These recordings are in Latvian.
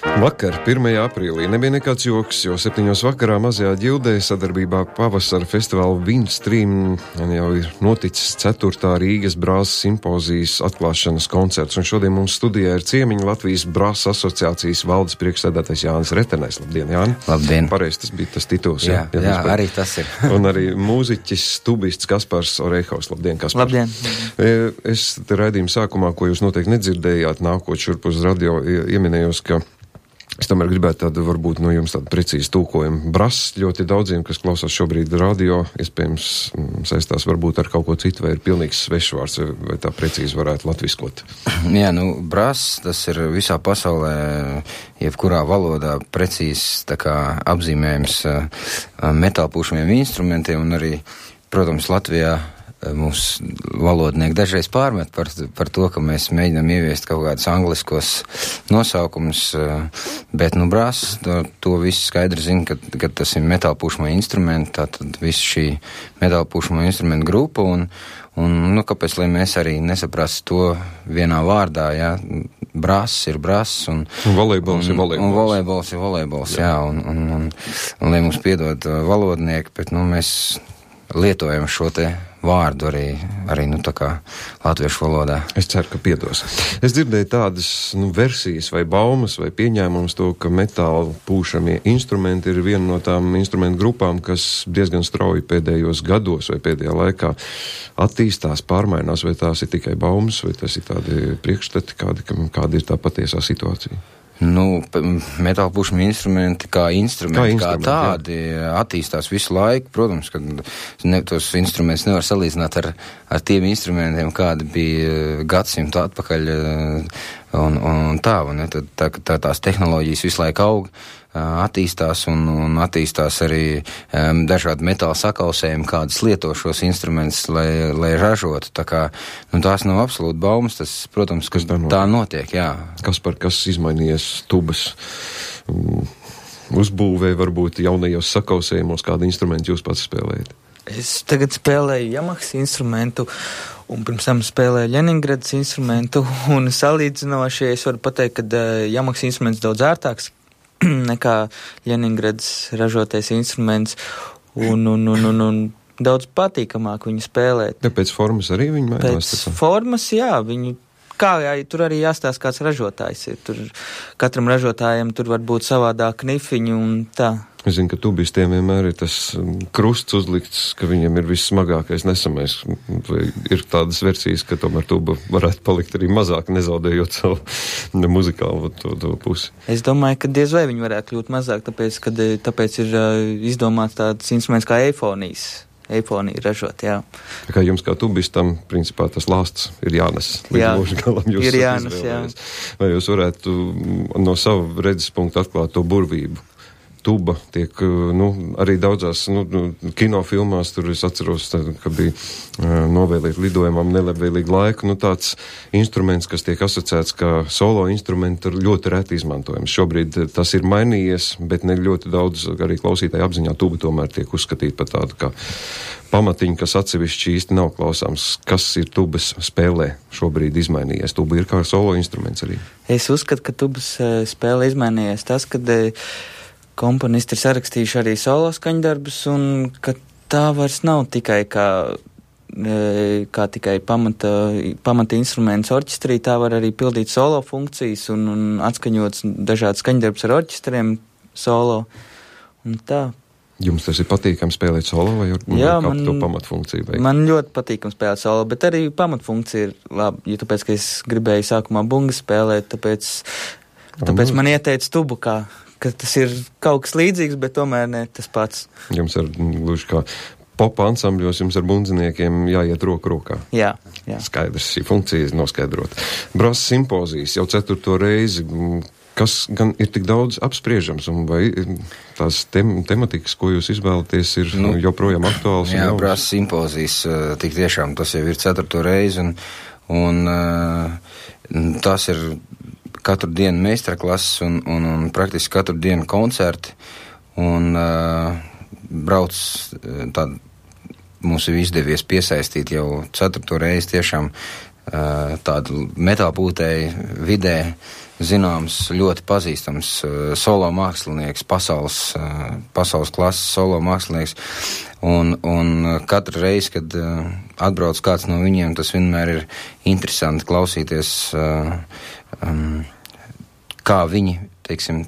Vakar, 1. aprīlī, nebija nekāds joks, jo 7. vakarā mazajā ģildē sadarbībā pavasara festivāla Windstream jau ir noticis 4. Rīgas brāzes simpozijas atklāšanas koncerts, un šodien mums studijā ir ciemiņi Latvijas brāzes asociācijas valdes priekšsēdētājs Jānis Retenais. Labdien, Jāni! Labdien! Pareizi, tas bija tas tituls. Jā, arī tas ir. Un arī mūziķis, tubists Kaspars Oreihaus. Labdien, Kaspars! Labdien! Es te raidījuma sākumā, ko jūs noteikti nedzirdējāt, nākot šurp uz radio, ieminējos, ka es tomēr gribētu tādu, varbūt, no jums tādu precīzu tūkojumu. Brass ļoti daudziem, kas klausās šobrīd radio, iespējams saistās varbūt ar kaut ko citu, vai ir pilnīgs svešvārds, vai tā precīzi varētu latviskot. Jā, brass, tas ir visā pasaulē, jebkurā valodā precīzs tā kā apzīmējums metālpūšamiem instrumentiem, un arī, protams, Latvijā mums valodnieki dažreiz pārmet par to, ka mēs mēģinām ieviest kaut kādus angliskos nosaukumus, bet, brass, to visu skaidri zina, ka tas ir metālpūšamo instrumenti, tātad visu šī metālpūšamo instrumentu grupa, un kāpēc, lai mēs arī nesaprastu to vienā vārdā, jā, brass ir brass, un volejbols ir volejbols. Un volejbols ir volejbols, jā, un lai mums piedod valodnieki, bet, mēs lietojam šo te vārdu arī tā kā latviešu valodā. Es ceru, ka piedos. Es dzirdēju tādas versijas vai baumas vai pieņēmums to, ka metāla pūšamie instrumenti ir viena no tām instrumentu grupām, kas diezgan strauji pēdējos gados vai pēdējā laikā attīstās, pārmainās, vai tās ir tikai baumas, vai tas ir tādi priekšstati, kāda ir tā patiesā situācija. Metāla pušami instrumenti kā tādi attīstās visu laiku. Protams, ka tos instrumentus nevar salīdzināt ar tiem instrumentiem, kādi bija gadsimtu atpakaļ, un tās tehnoloģijas visu laiku aug, attīstās un attīstās arī dažādi metāla sakausējumi, kādas lieto šos instrumentus, lai ražotu. Tā kā, tās nav absolūti baumas, tas, protams, ka tā notiek, jā. Kas izmainījies tubas uzbūvē, varbūt jaunajos sakausējumos, kādu instrumentu jūs pats spēlējat? Es tagad spēlēju Yamahas instrumentu, un pirms tam spēlēju Ļeningradas instrumentu, un salīdzinoši es varu pateikt, ka Yamahas instruments daudz ērtāks nekā Ļeningradas ražotais instruments, un daudz patīkamāk viņu spēlēt. Ja pēc formas arī viņi mainās? Pēc formas, jā, tur arī jāstāsta, kāds ražotājs ir. Tur katram ražotājam tur var būt savādāk knifiņu un tā. Es zinu, ka tubistiem vienmēr ir tas krusts uzlikts, ka viņam ir vissmagākais nesamais. Vai ir tādas versijas, ka tomēr tuba varētu palikt arī mazāk, nezaudējot savu muzikālu to pusi? Es domāju, ka diez vai viņi varētu kļūt mazāk, tāpēc ir izdomāts tāds instruments kā eifonija ražot, jā. Tā kā jums kā tubistam, principā tas lāsts ir jānes. Jā, līdz galam jūs ir jānes, jā. Vai jūs varētu no sava redzes punkta atklāt to burvību? Tuba tiek, arī daudzās kinofilmās, tur es atceros, ka bija novēlīt lidojumam nelabvēlīgu laiku, tāds instruments, kas tiek asociēts kā solo instruments, ir ļoti reti izmantojams. Šobrīd tas ir mainījies, bet ne ļoti daudz arī klausītāju apziņā tuba tomēr tiek uzskatīta par tādu kā pamatiņu, kas atsevišķi īsti nav klausāms. Kas ir tubas spēlē šobrīd izmainījies? Tuba ir kā solo instruments arī. Es uzskatu, ka tubas spēlē izmainījies tas, kad komponisti ir sarakstījuši arī solo skaņdarbus, un ka tā vairs nav tikai kā tikai pamata instruments orķestrī, tā var arī pildīt solo funkcijas un atskaņot dažādas skaņdarbus ar orķestriem solo, un tā. Jums tas ir patīkami spēlēt solo, vai to pamatfunkciju? Vai? Man ļoti patīkami spēlēt solo, bet arī pamatfunkcija ir laba, jo tāpēc, ka es gribēju sākumā bungas spēlēt, tāpēc man ieteica tubu, ka tas ir kaut kas līdzīgs, bet tomēr ne tas pats. Jums ir gluži kā popa ansambļos, jums ar bundziniekiem jāiet roku rokā. Jā. Skaidrs, šī funkcija ir noskaidrota. Brāzes simpozijas jau 4. reizi. Kas gan ir tik daudz apspriežams, un vai tās tematikas, ko jūs izvēlaties, ir joprojām aktuāls? Jā, brāzes simpozijas, tik tiešām tas jau ir 4. reizi, un tas ir katru dienu meistarklases un praktiski katru dienu koncerti, un brauc tādu, mums ir izdevies piesaistīt jau 4. reizi tiešām tādu metālpūtēju vidē zināms, ļoti pazīstams solo mākslinieks, pasaules klases solo mākslinieks, un katru reizi, kad atbrauc kāds no viņiem, tas vienmēr ir interesanti klausīties, kā viņi, teiksim,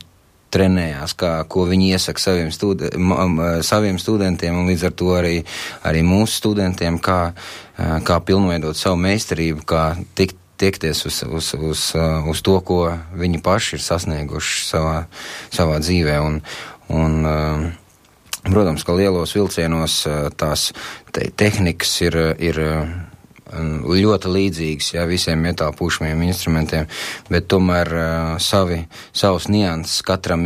trenējās, ko viņi iesaka saviem studentiem, un līdz ar to arī mūsu studentiem, kā pilnveidot savu meistarību, kā tiekties uz to, ko viņi paši ir sasnieguši savā dzīvē. Un protams, ka lielos vilcienos tās tehnikas ir ļoti līdzīgas, visiem metāla pušamiem instrumentiem, bet tomēr savus nianses katram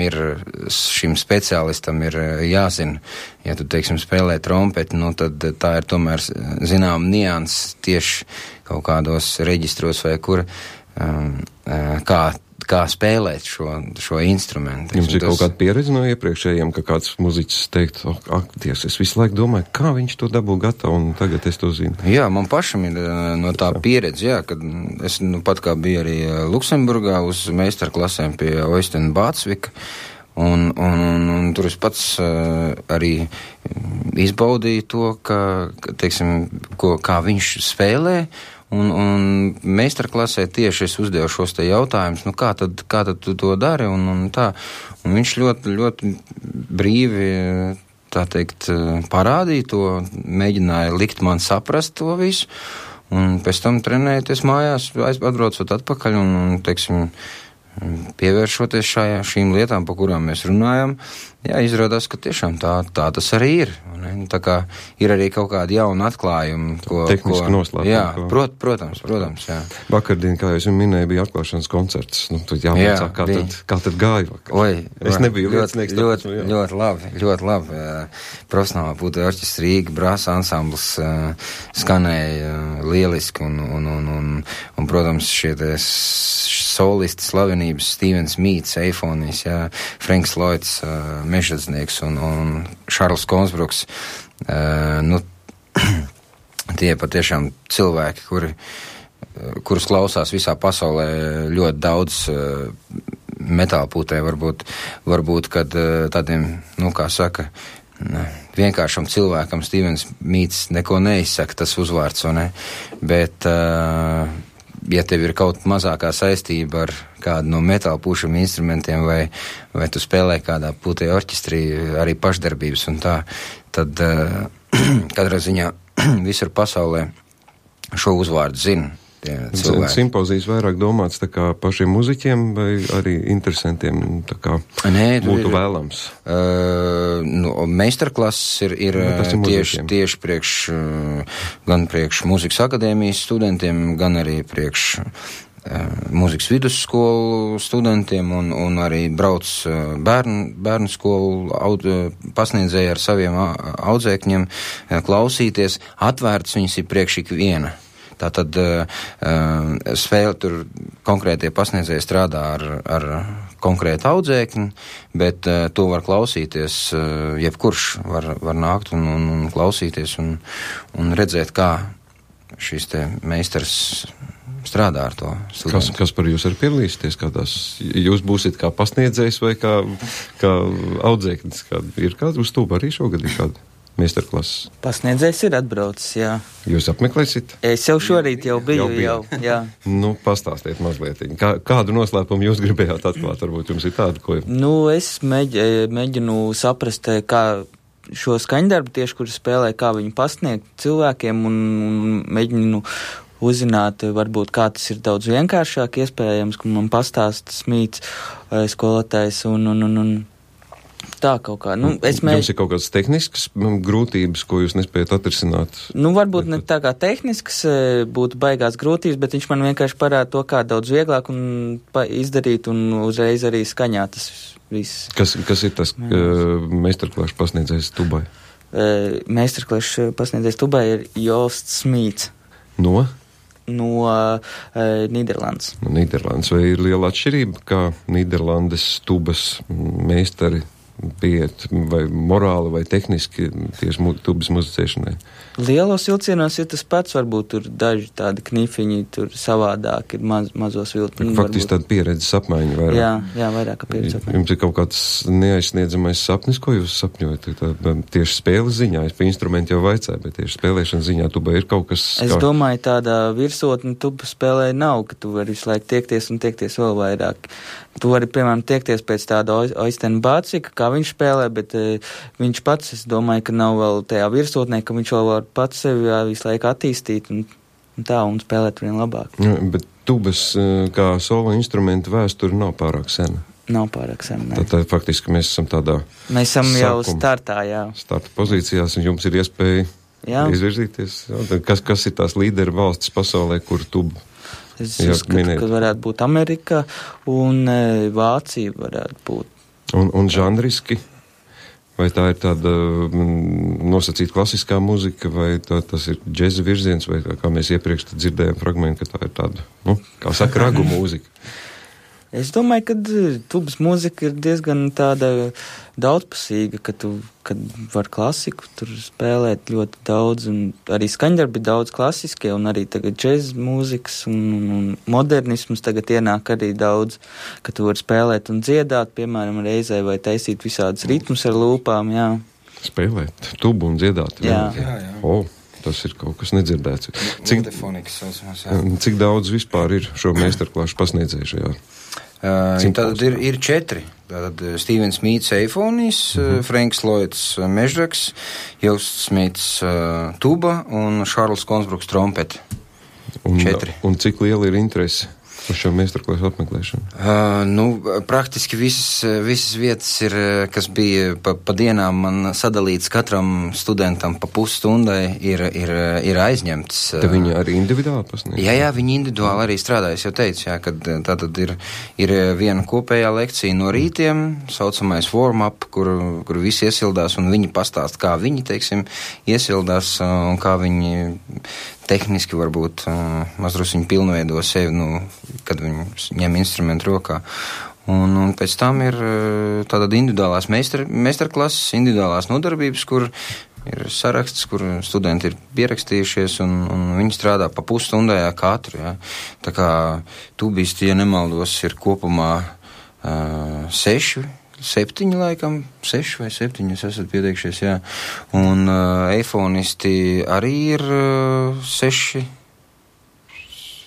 šim speciālistam ir jāzina. Ja tu, teiksim, spēlē trompeti, tad tā ir tomēr zinām nianses tieši kaut kādos reģistros vai kur, kā spēlēt šo instrumentu. Jums ir kaut kāda pieredze no iepriekšējiem, ka kāds muziķis teikt, ak, Dievs, es visu laiku domāju, kā viņš to dabū gatavu, un tagad es to zinu. Jā, man pašam ir no tā pieredze, kad es pat kā biju arī Luksemburgā uz meistarklasēm pie Oysteina Bātsvika, un tur es pats arī izbaudīju to, teiksim, kā viņš spēlē, un meistarklasē tieši es uzdevu šos te jautājumus, kā tad tu to dari, un tā. Un viņš ļoti, ļoti brīvi, tā teikt, parādīja to, mēģināja likt man saprast to visu, un pēc tam trenējoties mājās, atbraucot atpakaļ, un teiksim, pievēršoties šīm lietām, pa kurām mēs runājam, izrādās, ka tiešām tā tas arī ir. Tā kā ir arī kaut kādi jauni atklājumi. Tehniski noslēpumi. Jā, protams, jā. Vakardien, kā jūs minēju, bija atklāšanas koncerts. Tad jāmācā, kā tad gāja vakar. Es nebiju liecinieks. Ļoti labi. Profesionālā puteļu orķestra Rīga, brāsa ansambls skanēja lieliski, un protams, šie solisti slavenības Stevens Mīts, Eifonijas, Franks Lloyds, mežadznieks un Šarls Konsbruks, tie patiešām cilvēki, kurus klausās visā pasaulē ļoti daudz metāla pūtē, varbūt, kad tādiem, kā saka, vienkāršam cilvēkam Stevens Mīts neko neizsaka, tas uzvārds, bet ja tev ir kaut mazākā saistība ar kādu no metāla pušam instrumentiem vai tu spēlē kādā puteļu orķestrī arī pašdarbības un tā, tad katrā ziņā visur pasaulē šo uzvārdu zina. Simpozijas vairāk domāts tā kā pašiem muziķiem vai arī interesantiem tā kā būtu vēlams? Meistarklases ir tieši gan priekš mūzikas akadēmijas studentiem, gan arī priekš mūzikas vidusskolu studentiem un arī brauc bērnu skolu pasniedzēji ar saviem audzēkņiem klausīties, atvērts viņas ir priekš ikviena. Tātad spēle tur konkrētie pasniedzēji strādā ar konkrētu audzēkni, bet to var klausīties, jebkurš var nākt un klausīties un redzēt, kā šis te meistars strādā ar to studentu. Kas par jūs arī piedalīsieties kādās? Jūs būsiet kā pasniedzējs vai kā audzēknis? Ir kāda uz Tūbu arī šogad ir kāda? Meistarklases. Pasniedzējs ir atbraucis, jā. Jūs apmeklēsiet? Es jau šorīt jau biju, jā. Pastāstiet mazliet. Kādu noslēpumu jūs gribējāt atklāt? Varbūt jums ir tāda, ko... Es mēģinu saprast, kā šo skaņdarbu tieši, kur spēlē, kā viņu pasniegt cilvēkiem un mēģinu uzzināt, varbūt kā tas ir daudz vienkāršāk, iespējams, ka man pastāsta Smīts skolotājs un tā kaut kā. Jums ir kaut kādas tehniskas grūtības, ko jūs nespējat atrisināt? Varbūt ne tā kā tehniskas būtu baigās grūtības, bet viņš man vienkārši parāda to, kā daudz vieglāk un izdarīt un uzreiz arī skaņā tas viss. Kas ir tas meistarklašu pasniedzējs Tubai? Meistarklašu pasniedzējs Tubai ir Josts Smīts. No Nīderlandes. No Nīderlandes. Vai ir liela atšķirība, kā Nīderlandes tubas meistari pieiet vai morāli vai tehniski tieši tubas muzicēšanai? Lielos vilcienos ir tas pats, varbūt tur daži tādi knifiņi, tur savādāk ir mazos vilcienos. Faktiski tāda pieredzes apmaiņa vairāk. Jā, vairāk kā pieredzes apmaiņa. Jums ir kaut kāds neaizsniedzamais sapnis, ko jūs sapņojat? Tieši spēles ziņā, es pa instrumentu jau vaicāju, bet tieši spēlēšanas ziņā tubā ir kaut kas... Es domāju, tādā virsotne tubu spēlē nav, ka tu vari visu laiku tiekties un tiekties vēl vairāk. Tu vari, piemēram, tiekties pēc tāda Oistena Bācika, kā viņš spēlē, bet viņš pats, es domāju, ka nav vēl tajā virsotnē, ka viņš vēl var pats sevi visu laiku attīstīt un spēlēt vien labāk. Bet tubas kā solo instrumentu vēsture nav pārāk sena. Nav pārāk sena, ne. Tad faktiski mēs esam tādā... Mēs esam jau startā, jā. Starta pozīcijās, un jums ir iespēja izvirzīties. Kas ir tās līderi valstis pasaulē, kur tubu? Es uzskatu, ka varētu būt Amerika un Vācija varētu būt. Un žanriski? Vai tā ir tāda nosacīta klasiskā muzika, vai tas ir džeza virziens, vai kā mēs iepriekš dzirdējām fragmentu, ka tā ir tāda, kā saka, ragu mūzika? Es domāju, ka tubas mūzika ir diezgan tāda daudzpusīga, kad var klasiku tur spēlēt ļoti daudz, un arī skaņdarbi daudz klasiskie, un arī tagad džeza mūzikas un modernisms tagad ienāk arī daudz, ka tu var spēlēt un dziedāt, piemēram, reizē vai taisīt visādas ritmus ar lūpām, jā. Spēlēt tubu un dziedāt? Jā. Tas ir kaut kas nedzirdēts. Cik daudz vispār ir šo meistarklašu pasniedzēju šajā? Tātad ir 4. Tātad Stevens Smīts eifonijas, Franks Lloyds mežraks, Josts Smīts tuba un Šārls Konsbruks trompeti. 4. Un cik liela ir interese par šo meistarklasu apmeklēšanu? Praktiski visas vietas ir, kas bija pa dienām man sadalīts katram studentam pa pusstundai, ir aizņemts. Te viņi arī individuāli pasniedz? Jā, viņi individuāli arī strādā, es jau teicu, kad tātad ir viena kopējā lekcija no rītiem, saucamais warm-up, kur visi iesildās un viņi pastāst, kā viņi, teiksim, iesildās un kā viņi tehniski varbūt mazrusiņi pilnveido sevi, kad viņi ņem instrumentu rokā. Un pēc tam ir tātad individuālās meistarklases, individuālās nodarbības, kur ir saraksts, kur studenti ir pierakstījušies, un viņi strādā pa pusstundējā katru. Ja. Tā kā tubisti, ja nemaldos, ir kopumā 7 laikam, 6 vai 7 jūs esat pieteikšies, jā. Un eifonisti arī ir 6,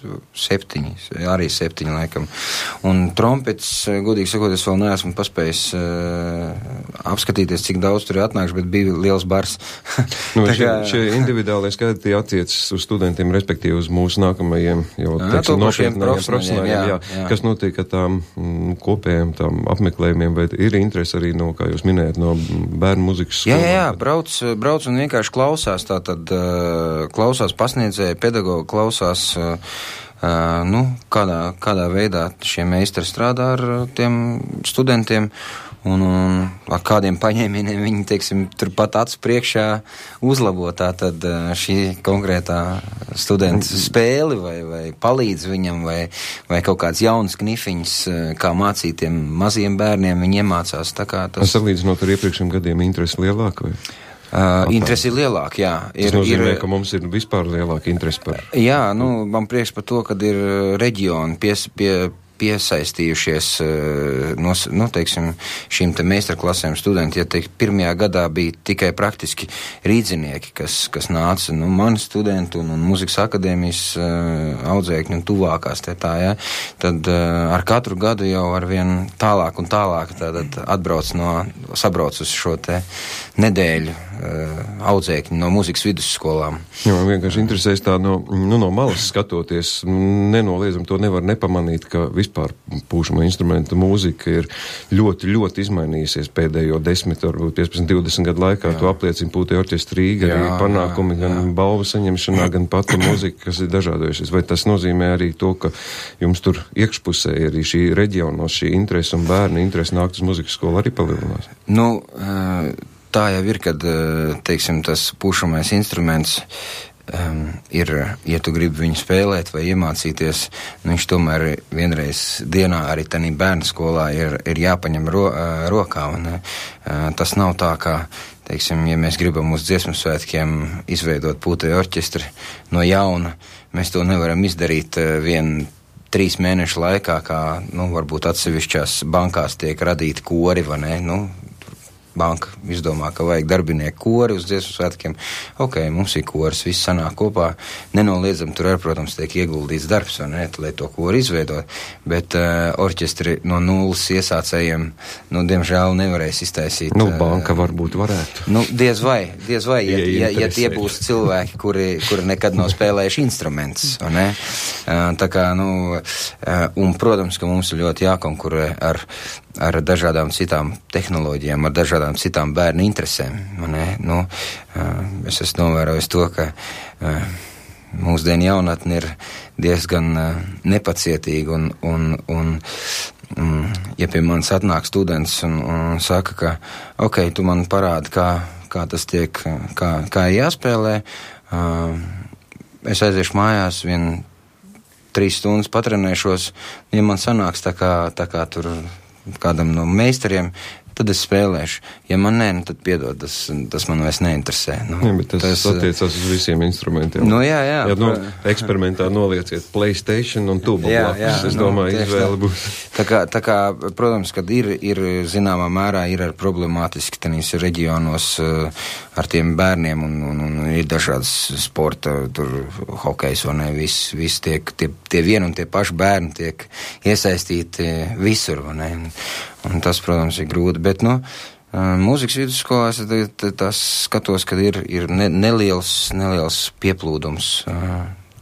7, arī 7 laikam. Un trompets, godīgi sakot, es vēl neesmu paspējis apskatīties, cik daudz tur ir atnākuši, bet bija liels bars. Šie individuālie skaiti attiecas uz studentiem, respektīvi uz mūsu nākamajiem, jau teiksim, nopietnējiem profesionāļiem, kas notiek ar tām kopējiem tām apmeklējumiem, vai ir interesi arī no, kā jūs minējat, no bērnu muzikas skolām? Jā, brauc un vienkārši klausās, tātad klausās pasniedzēji, pedagogi klausās, kādā veidā šie meistari strādā ar tiem studentiem un ar kādiem paņēmieniem viņi, teiksim, turpat acu priekšā uzlabo tātad šī konkrētā studenta spēli vai palīdz viņam vai kaut kāds jauns knifiņas, kā mācīt tiem maziem bērniem, viņi iemācās. Tā kā tas... Salīdzinot ar iepriekšējiem gadiem, interesi lielāka vai? Interesi ir lielāka, jā. Tas nozīmē, ka mums ir vispār lielāka interesi par... Jā, man prieks par to, kad ir reģioni piesaistījušies, teiksim, šīm te meistarklasēm studenti. Ja pirmajā gadā bija tikai praktiski rīdzinieki, kas nāca, mani studenti un muzikas akadēmijas audzēkņi un tuvākās ja, tad ar katru gadu jau arvien tālāk un tālāk tātad sabrauc uz šo te nedēļu audzēkņi no muzikas vidusskolām. Jā, man vienkārši interesēs tā no malas skatoties, nenoliedzam to nevar nepamanīt, ka vispār pūšamo instrumentu mūzika ir ļoti, ļoti izmainījusies pēdējo 10, varbūt 15, 20 gadu laikā. To apliecina Pūtē orķestra Rīga, arī panākumi gan balvu saņemšanā, gan pati mūzika, kas ir dažādojušies. Vai tas nozīmē arī to, ka jums tur iekšpusē arī šī reģionos šī interese un bērnu interese nākt uz muzikas skolu arī palielinās? Tā jau ir, kad, teiksim, tas pūšamais instruments ir, ja tu gribi viņu spēlēt vai iemācīties, viņš tomēr vienreiz dienā arī tanī bērnu skolā ir jāpaņem rokā, un tas nav tā, kā, teiksim, ja mēs gribam uz dziesmu svētkiem izveidot pūtēju orķestri no jauna, mēs to nevaram izdarīt 3 mēnešu laikā, kā, varbūt atsevišķās bankās tiek radīti kori, vai ne, banka izdomā, ka vajag darbinieku kori uz dziesmu svētkiem. Ok, mums ir koris, viss sanāk kopā. Nenoliedzam, tur arī, protams, tiek ieguldīts darbs, vai ne, lai to kori izveidot. Bet orķestri no nulles iesācējiem, diemžēl nevarēs iztaisīt. Banka varbūt varētu. Diez vai, ja tie būs cilvēki, kuri nekad nav spēlējuši instrumentus, vai ne? Tā kā, un, protams, ka mums ir ļoti jākonkurē ar dažādām citām tehnoloģijām, ar dažādām citām bērnu interesēm. Es esmu novērojis to, ka mūsdienu jaunatne ir diezgan nepacietīga un ja pie manis atnāk students un saka, ka ok, tu man parādi, kā tas tiek, kā jāspēlē, es aiziešu mājās 3 stundas patrenēšos, ja man sanāks tā kā tur kādam no meistariem, tad es spēlēšu. Ja man nē, tad piedod, tas man vairs neinteresē. Bet tas attiecās uz visiem instrumentiem. Jā. Ja eksperimentā nolieciet PlayStation un tubu blakus, es domāju, izvēle būs. Tā kā, protams, kad ir zināmā mērā ir ar problemātiski tenīs reģionos ar tiem bērniem un ir dažādas sporta, tur hokejs vai ne, viss tiek, tie vien un tie paši bērni tiek iesaistīti visur, vai ne. Un tas, protams, ir grūti, bet, mūzikas vidusskolās tas skatos, kad ir neliels pieplūdums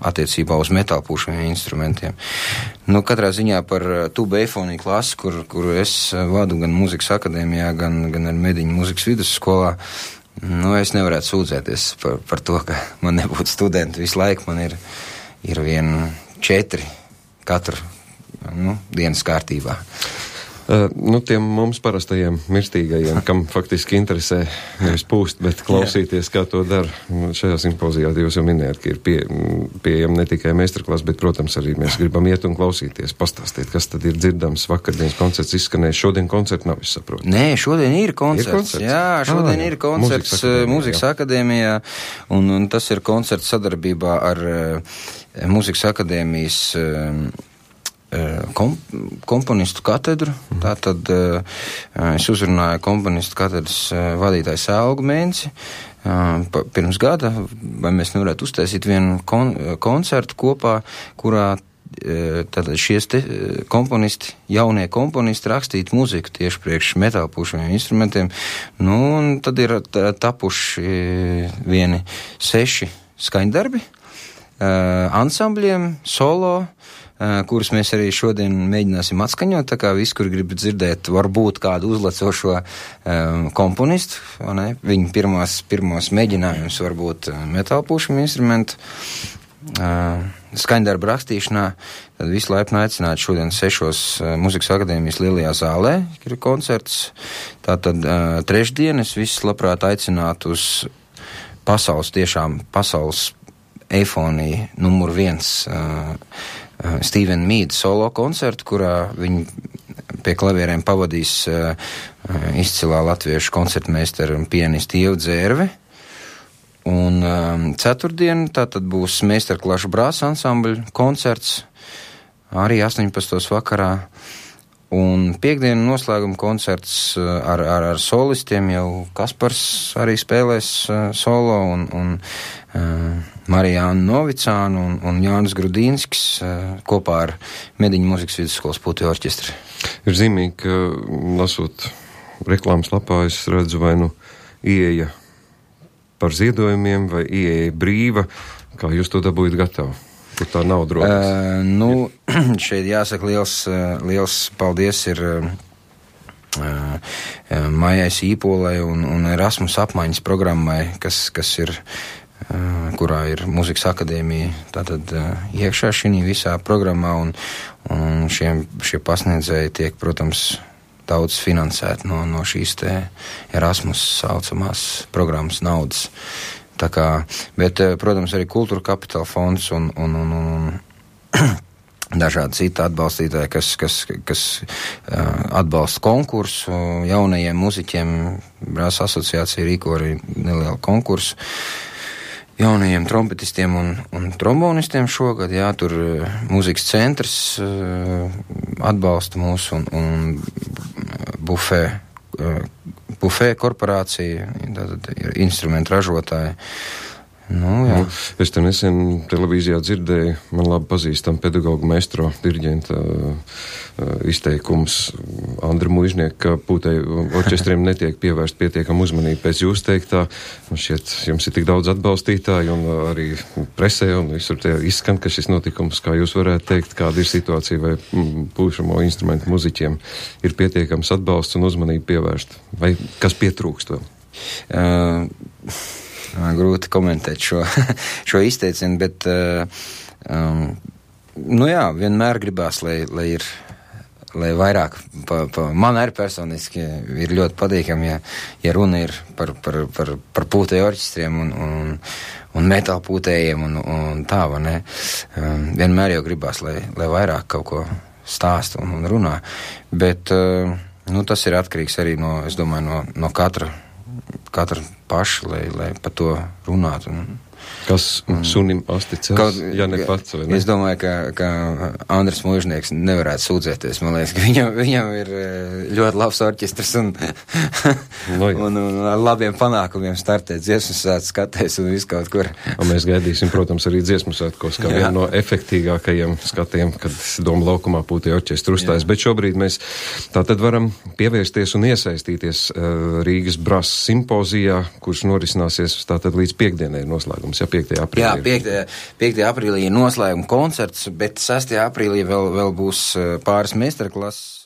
attiecībā uz metālpūšamiem instrumentiem. Katrā ziņā par tuba eifoniju klasi, kur es vadu gan mūzikas akadēmijā, gan ar Mediņu mūzikas vidusskolā, es nevarētu sūdzēties par to, ka man nebūtu studenti visu laiku, man ir 4 katru dienas kārtībā. Tiem mums parastajiem mirstīgajiem, kam faktiski interesē nevis pūst, bet klausīties, kā to dara. Šajā simpozijā jūs jau minējāt, ka ir pieejama ne tikai meistarklasa, bet, protams, arī mēs gribam iet un klausīties, pastāstīt, kas tad ir dzirdams. Vakardienas koncerts izskanēja, šodien koncerts nav, es saprotu. Nē, šodien ir koncerts. Jā, šodien ir koncerts Mūzikas akadēmijā, un tas ir koncerts sadarbībā ar Mūzikas akadēmijas komponistu katedru. Tātad es uzrunāju komponistu katedras vadītāju Sēlgu Mēnci pirms gada, vai mēs nevarētu uztaisīt vienu koncertu kopā, kurā tātad šies komponisti, jaunie komponisti rakstītu muziku tieši priekš metālpūšamiem instrumentiem. Un tad ir tapuši vieni 6 skaņdarbi, ansambļiem, solo, kurus mēs arī šodien mēģināsim atskaņot, tā kā visi, kur grib dzirdēt varbūt kādu uzlacošo komponistu, viņa pirmos mēģinājums varbūt metālpūšamu instrumentu skaņdarba rakstīšanā, tad visu laipni aicinātu šodien 6 Mūzikas akadēmijas lielajā zālē, ir koncerts. Tātad trešdien es visus labprāt aicinātu uz pasaules eifonija numur 1 Stevena Meada solo koncertu, kurā viņi pie klavierēm pavadīs izcilā latviešu koncertmeistaru un pianistu Ievu Dzērvi. Un ceturtdien tātad būs meistarklašu brāsu ansambļu koncerts, arī 18. vakarā. Un piekdienu noslēguma koncerts ar solistiem, jau Kaspars arī spēlēs solo, un Marijāna Novicāna un Jānis Grudīnskis kopā ar Mediņu mūzikas vidusskolas pūtēju orķestri. Ir zīmīgi, ka lasot reklāmas lapā, es redzu vai ieeja par ziedojumiem, vai ieeja brīva, kā jūs to dabūjat gatavu? Kur tā nauda rodas? Šeit jāsaka liels paldies ir Maijai Sīpolai un Erasmus apmaiņas programmai, kas ir, kurā ir Mūzikas akadēmija tātad iekšā šī visā programmā, un šie pasniedzēji tiek, protams, daudz finansēti no šīs te Erasmus saucamās programmas naudas. Tā kā, bet, protams, arī Kultūra Kapitāla fonds un dažādi citi atbalstītāji, kas atbalsta konkursu jaunajiem muziķiem. Brāzas asociācija rīko arī nelielu konkursu jaunajiem trompetistiem un trombonistiem šogad. Jā, tur mūzikas centrs atbalsta mūs un Bufē korporācija, tātad ir instrumentu ražotāji. Jā. Es te nesen televīzijā dzirdēju, man labi pazīstam pedagogu maestro diriģenta izteikums Andra Muižnieka, ka pūtēju orķestriem netiek pievērst pietiekam uzmanību pēc jūs teiktā. Un šķiet, jums ir tik daudz atbalstītāju un arī presē un visur tie izskan, ka šis notikums, kā jūs varētu teikt, kāda ir situācija vai pūšamo instrumentu muziķiem ir pietiekams atbalsts un uzmanība pievērst. Vai kas pietrūkst vēl? Grūti komentēt šo izteicienu, bet vienmēr gribās, lai vairāk man arī personiski ir ļoti patīkami, ja runa ir par pūtēju orķestriem un metāla pūtējiem un tā, vai ne? Vienmēr jau gribās, lai vairāk kaut ko stāsta un runā, bet tas ir atkarīgs arī es domāju, no katra paša, lai par to runātu. Kas sunim asti cels, ja ne pats, vai ne? Es domāju, ka Andris Muižnieks nevarētu sūdzēties. Man liekas, ka viņam ir ļoti labs orķestrs un ar labiem panākumiem startē dziesmu svētku skatēs un visu kaut kur. Un mēs gaidīsim, protams, arī dziesmu svētkos kā vienu no efektīgākajiem skatiem, kad Doma laukumā pūtēja orķestru uzstājas. Bet šobrīd mēs tātad varam pievērsties un iesaistīties Rīgas Brass simpozijā, kurš norisināsies tātad līdz piekdienai noslēgums. 5. aprīlī. Jā, 5. aprīlī ir noslēguma koncerts, bet 6. aprīlī vēl būs pāris meistarklases.